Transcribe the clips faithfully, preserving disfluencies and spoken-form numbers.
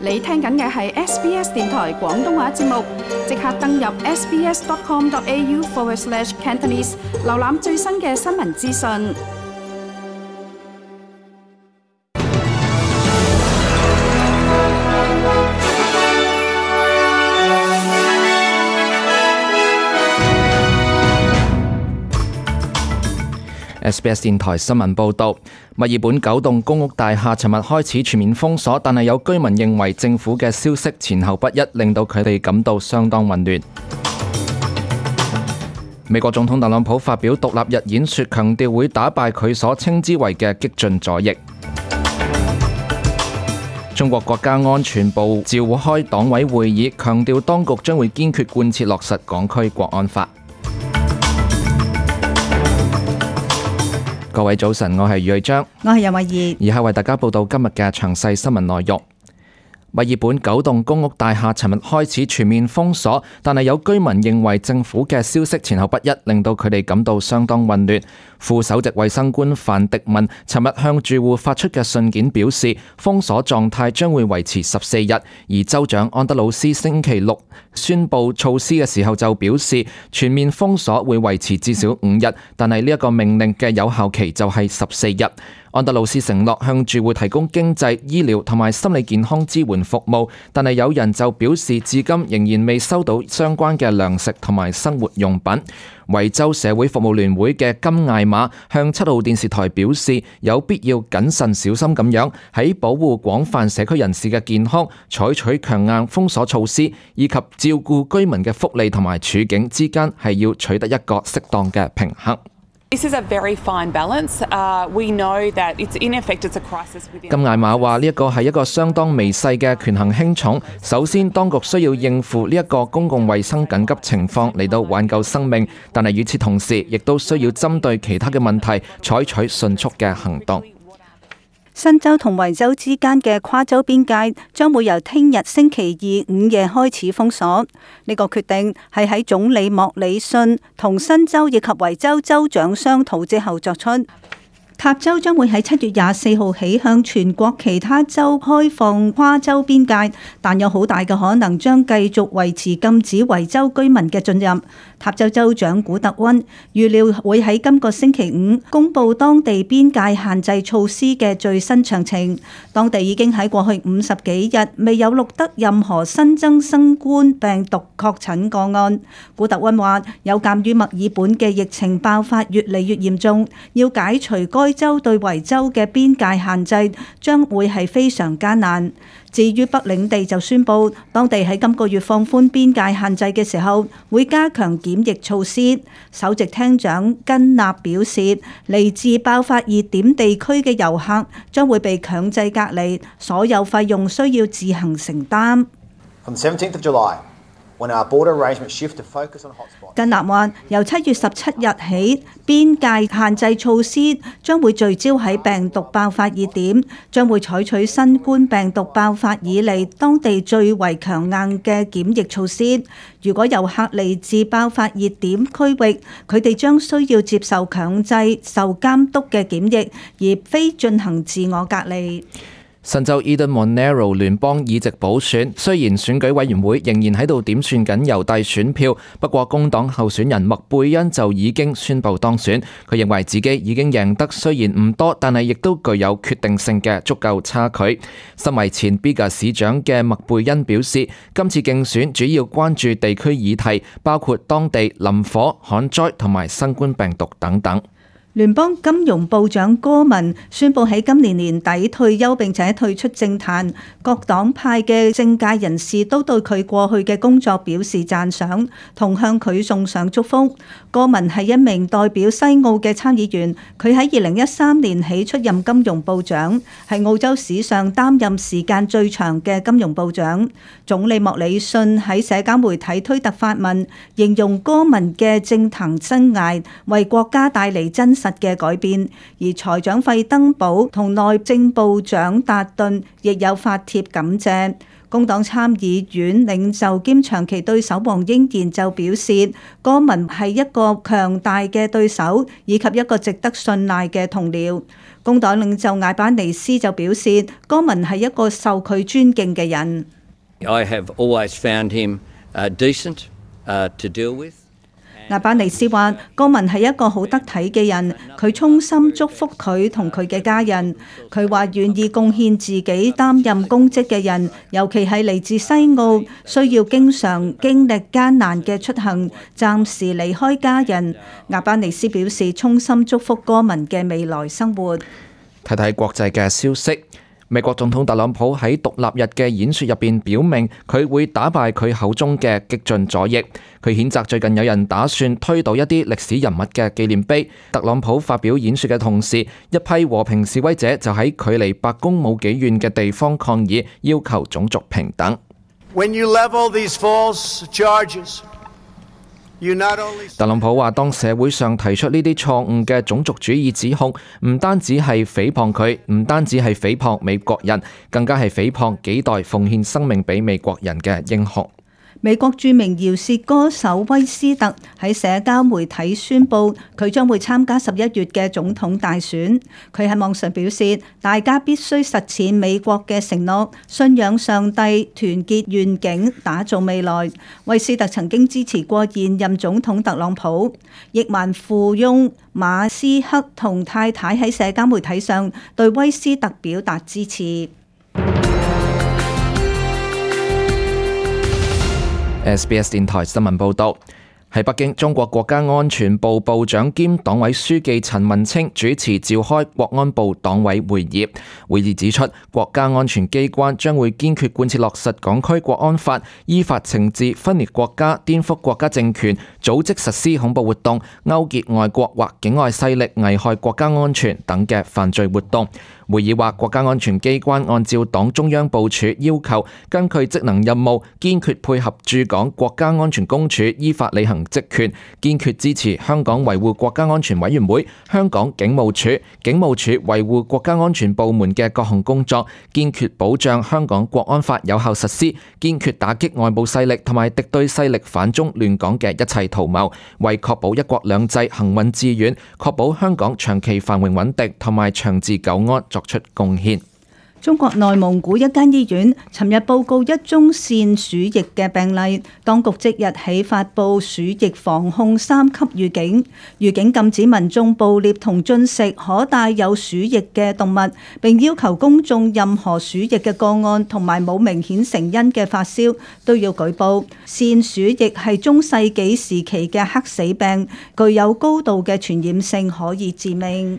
你聽緊嘅係 S B S 電台廣東話節目，即刻登入 sbs.com.au forward slash Cantonese， 瀏覽最新嘅新聞資訊。S B S 電台新聞報導，墨爾本九棟公屋大廈尋日開始全面封鎖，但係有居民認為政府嘅消息前後不一，令到佢哋感到相當混亂。美國總統特朗普發表獨立日演說，強調會打敗佢所稱之為嘅激進左翼。中國國家安全部召開黨委會議，強調當局將會堅決貫徹落實港區國安法。各位早晨，我係余偉章，我係任慧儀，以下為大家報道今日嘅詳細新聞內容。墨爾本九棟公屋大廈尋日開始全面封鎖，但係有居民認為政府嘅消息前後不一，令到佢哋感到相當混亂。副首席衛生官范迪文尋日向住戶發出嘅信件表示，封鎖狀態將會維持十四日，而州長安德魯斯星期六宣布措施嘅時候就表示，全面封鎖會維持至少五日，但係呢一個命令嘅有效期就係十四日。安德魯斯承諾向住戶提供經濟、醫療同埋心理健康支援服務，但係有人就表示至今仍然未收到相關嘅糧食同埋生活用品。維州社會服務聯會嘅金艾瑪向七號電視台表示，有必要謹慎小心咁樣喺保護廣泛社區人士嘅健康，採取強硬封鎖措施，以及照顧居民嘅福利同埋處境之間係要取得一個適當嘅平衡。This is a very fine balance. Uh, we know that it's in effect it's a crisis within. 金艾瑪話呢一個係一個相當微細嘅權衡輕重。首先，當局需要應付呢一個公共衛生緊急情況嚟到挽救生命，但係與此同時，亦都需要針對其他嘅問題採取迅速嘅行動。新州同維州之間嘅跨州邊界將會由聽日星期二午夜開始封鎖。呢個決定係喺總理莫里遜同新州以及維州州長商討之後作出。塔州將會喺七月廿四號起向全國其他州開放跨州邊界，但有好大嘅可能將繼續維持禁止維州居民嘅進入。塔州州長古特溫預料會喺今個星期五公布當地邊界限制措施嘅最新詳情。當地已經喺過去五十幾日未有錄得任何新增新冠病毒確診個案。古特溫話，有鑑於墨爾本嘅疫情爆發越嚟越嚴重，要解除該州對維州嘅邊界限制將會係非常艱難。至於北領地就宣布，當地喺今個月放寬邊界限制嘅時候，會加強檢疫措施。首席廳長根納表示，嚟自爆發熱點地區嘅遊客將會被強制隔離，所有費用需要自行承擔。From the seventeenth of July, when our border arrangements shift to focus on hotspots. 根納話，由七月十七日起，邊界限制措施將會聚焦喺病毒爆發熱點，將會採取新冠病毒爆發以嚟當地最為強硬嘅檢疫措施。如果遊客嚟自爆發熱點區域，佢哋將需要接受強制受監督嘅檢疫，而非進行自我隔離。新州 Eden Monaro 聯邦議席補選，雖然選舉委員會仍然喺度點算緊郵遞選票，不過工黨候選人麥貝恩就已經宣布當選。佢認為自己已經贏得雖然唔多，但係亦都具有決定性嘅足夠差距。身為前 Bega 市長嘅麥貝恩表示，今次競選主要關注地區議題，包括當地林火、旱災同埋新冠病毒等等。聯邦金融部長戈文宣布喺今年年底退休，並且退出政壇。各黨派嘅政界人士都對佢過去嘅工作表示讚賞，同向佢送上祝福。戈文係一名代表西澳嘅參議員，佢喺二零一三年起出任金融部長，係澳洲史上擔任時間最長嘅金融部長。總理莫里遜喺社交媒體推特發文，形容戈文嘅政壇生涯為國家帶嚟真實嘅改變，而財長費登堡同內政部長達頓亦有發帖感謝。工黨參議院領袖兼長期對手黃英賢就表示，戈文係一個強大嘅對手，以及一個值得信賴嘅同僚。工黨領袖艾巴尼斯就表示，戈文係一個受佢尊敬嘅人。I have always found him uh, decent uh, to deal with. 艾巴尼斯話：戈文係一個好得體嘅人，佢衷心祝福佢同佢嘅家人。佢話願意貢獻自己擔任公職嘅人，尤其係嚟自西澳，需要經常經歷艱難嘅出行，暫時離開家人。艾巴尼斯表示衷心祝福戈文嘅未來生活。睇睇國際嘅消息。美國總統特朗普喺獨立日嘅演說入邊表明，佢會打敗佢口中嘅激進左翼。佢譴責最近有人打算推倒一啲歷史人物嘅紀念碑。特朗普發表演說嘅同時，一批和平示威者就喺距離白宮冇幾遠嘅地方抗議，要求種族平等。When you level these false charges, 特朗普話：當社會上提出呢啲錯誤嘅種族主義指控，唔單止係誹謗佢，唔單止係誹謗美國人，更加係誹謗幾代奉獻生命俾美國人嘅英雄。美國著名饒舌歌手威斯特喺社交媒體宣布，佢將會參加十一月嘅總統大選。佢喺網上表示，大家必須實踐美國嘅承諾，信仰上帝，團結願景，打造未來。威斯特曾經支持過現任總統特朗普。億萬富翁馬斯克同太太喺社交媒體上對威斯特表達支持。S B S 電台新聞報道，喺北京，中國國家安全部部長兼黨委書記陳文清主持召開國安部黨委會議。會議指出，國家安全機關將會堅決貫徹落實港區國安法，依法懲治分裂國家、顛覆國家政權、組織實施恐怖活動、勾結外國或境外勢力危害國家安全等嘅犯罪活動。會議話，國家安全機關按照黨中央部署要求，根據職能任務，堅決配合駐港國家安全公署依法履行職權，堅決支持香港維護國家安全委員會、香港警務處、警務處維護國家安全部門嘅各項工作，堅決保障香港國安法有效實施，堅決打擊外部勢力同埋敵對勢力反中亂港嘅一切圖謀，為確保一國兩制行穩致遠，確保香港長期繁榮穩定同埋長治久安作出貢獻。中國內蒙古一間醫院尋日報告一宗腺鼠疫嘅病例，當局即日起發布鼠疫防控三級預警，預警禁止民眾捕獵同進食可帶有鼠疫嘅動物，並要求公眾任何鼠疫嘅個案同埋冇明顯成因嘅發燒都要舉報。腺鼠疫係中世紀時期嘅黑死病，具有高度嘅傳染性，可以致命。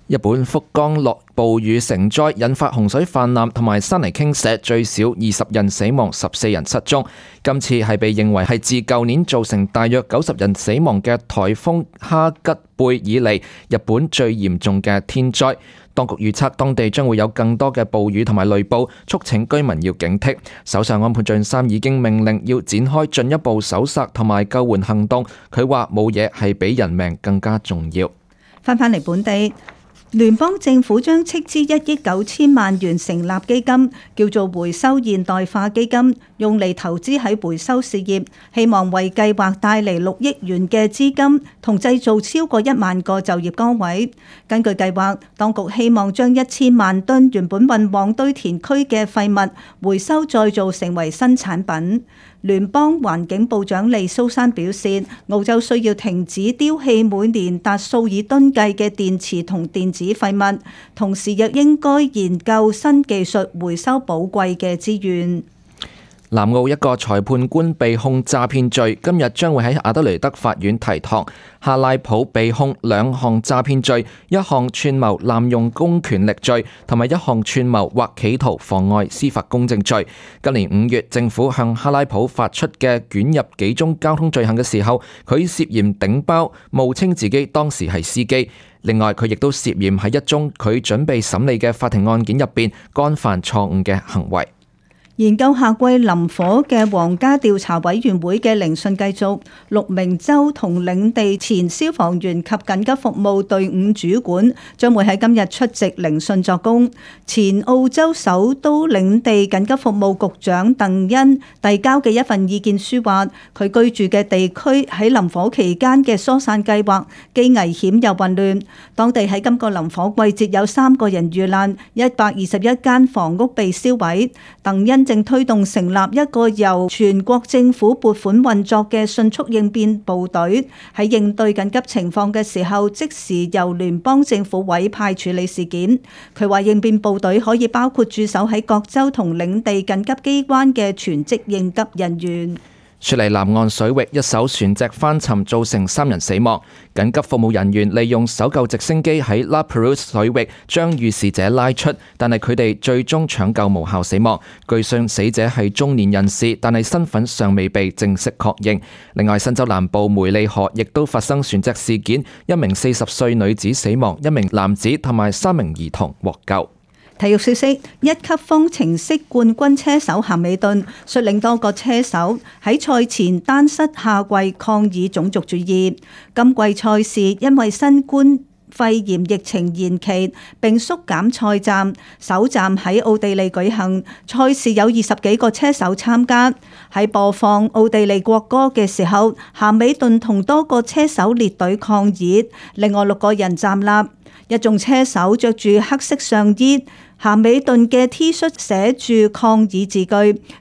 日本福岡落暴雨成災，引發洪水泛濫同埋山泥傾瀉，最少二十人死亡，十四人失蹤。今次係被認為係自舊年造成大約九十人死亡嘅颱風哈吉貝以嚟，日本最嚴重嘅天災。當局預測當地將會有更多嘅暴雨同埋雷暴，促請居民要警惕。首相安倍晉三已經命令要展開進一步搜索同埋救援行動。佢話冇嘢係比人命更加重要。翻返嚟本地。聯邦政府將斥資一億九千萬元成立基金，叫做回收現代化基金，用嚟投資喺回收事業，希望為計劃帶嚟六億元嘅資金，同製造超過一萬個就業崗位。根據計劃，當局希望將一千萬噸原本運往堆填區嘅廢物回收再造成為新產品。聯邦環境部長利蘇珊表示，澳洲需要停止丟棄每年達數以噸計嘅電池同電子廢物，同時亦應該研究新技術回收寶貴嘅資源。南澳一個裁判官被控詐騙罪，今日將會喺阿德雷德法院提堂。哈拉普被控兩項詐騙罪，一項串謀濫用公權力罪，同埋一項串謀或企圖妨礙司法公正罪。今年五月，政府向哈拉普發出嘅捲入幾宗交通罪行嘅時候，佢涉嫌頂包，冒稱自己當時係司機。另外，佢亦都涉嫌喺一宗佢準備審理嘅法庭案件入邊干犯錯誤嘅行為。研究夏季林火嘅皇家調查委員會嘅聆訊繼續，六名州同領地前消防員及緊急服務隊伍主管將會喺今日出席聆訊作供。前澳洲首都領地緊急服務局長鄧恩遞交嘅一份意見書話，佢居住嘅地區喺林火期間嘅疏散計劃既危險又混亂，當地喺今個林火季節有三個人遇難，一百二十一間房屋被燒毀。鄧恩正推動成立一個由全國政府撥款運作嘅迅速應變部隊，喺應對緊急情況嘅時候，即時由聯邦政府委派處理事件。佢話應變部隊可以包括駐守喺各州同領地緊急機關嘅全職應急人員。雪梨南岸水域一艘船隻翻沉，造成三人死亡。緊急服務人員利用搜救直升機喺 La Perouse 水域將遇事者拉出，但係佢哋最終搶救無效死亡。據信死者係中年人士，但係身份尚未被正式確認。另外，新州南部梅利河亦都發生船隻事件，一名四十歲女子死亡，一名男子同埋三名兒童獲救。體育消息：一級方程式冠軍車手咸美頓率領多個車手喺賽前單膝下跪抗議種族主義。今季賽事因為新冠肺炎疫情延期並縮減賽站，首站喺奧地利舉行。賽事有二十幾個車手參加。喺播放奧地利國歌嘅時候，咸美頓同多個車手列隊抗議，另外六個人站立。一眾車手着住黑色上衣，咸美頓嘅 T 恤寫住抗議字句，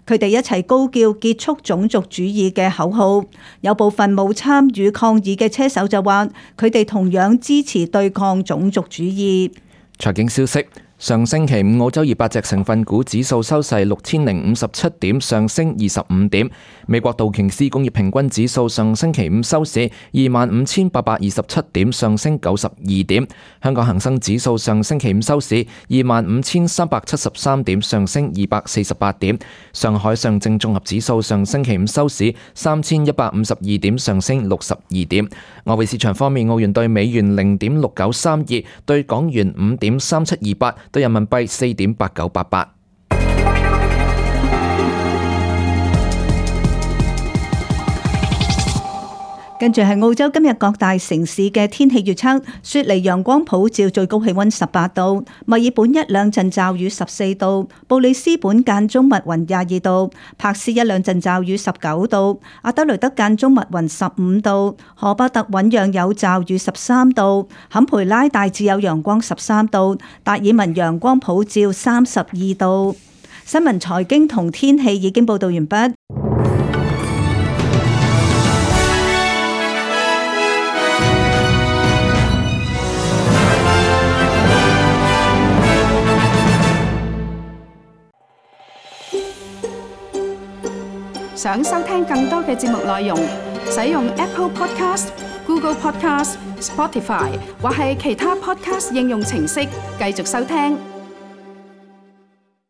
佢哋一齊高叫結束種族主義嘅口號。有部分冇參與抗議嘅車手就話，佢哋同樣支持對抗種族主義。財經消息。上星期五，澳洲二百隻成分股指數收市六千零五十七點，上升二十五點。美國道瓊斯工業平均指數上星期五收市二萬五千八百二十七點，上升九十二點。香港恒生指數上星期五收市二萬五千三百七十三點，上升二百四十八點。上海上證綜合指數上星期五收市三千一百五十二點，上升六十二點。外匯市場方面，澳元對美元零點六九三二，對港元五點三七二八。對人民幣四點八九八八。跟住係澳洲今日各大城市嘅天氣預測：雪梨陽光普照，最高氣溫十八度；墨爾本一兩陣驟雨十四度；布里斯本間中密雲廿二度；柏斯一兩陣驟雨十九度；阿德雷德間中密雲十五度；荷巴特醞釀有驟雨十三度；坎培拉大致有陽光十三度；達爾文陽光普照三十二度。新聞財經同天氣已經報道完畢。想收聽更多嘅節目內容，使用 Apple Podcast、Google Podcast、Spotify 或係其他 Podcast 應用程式繼續收聽。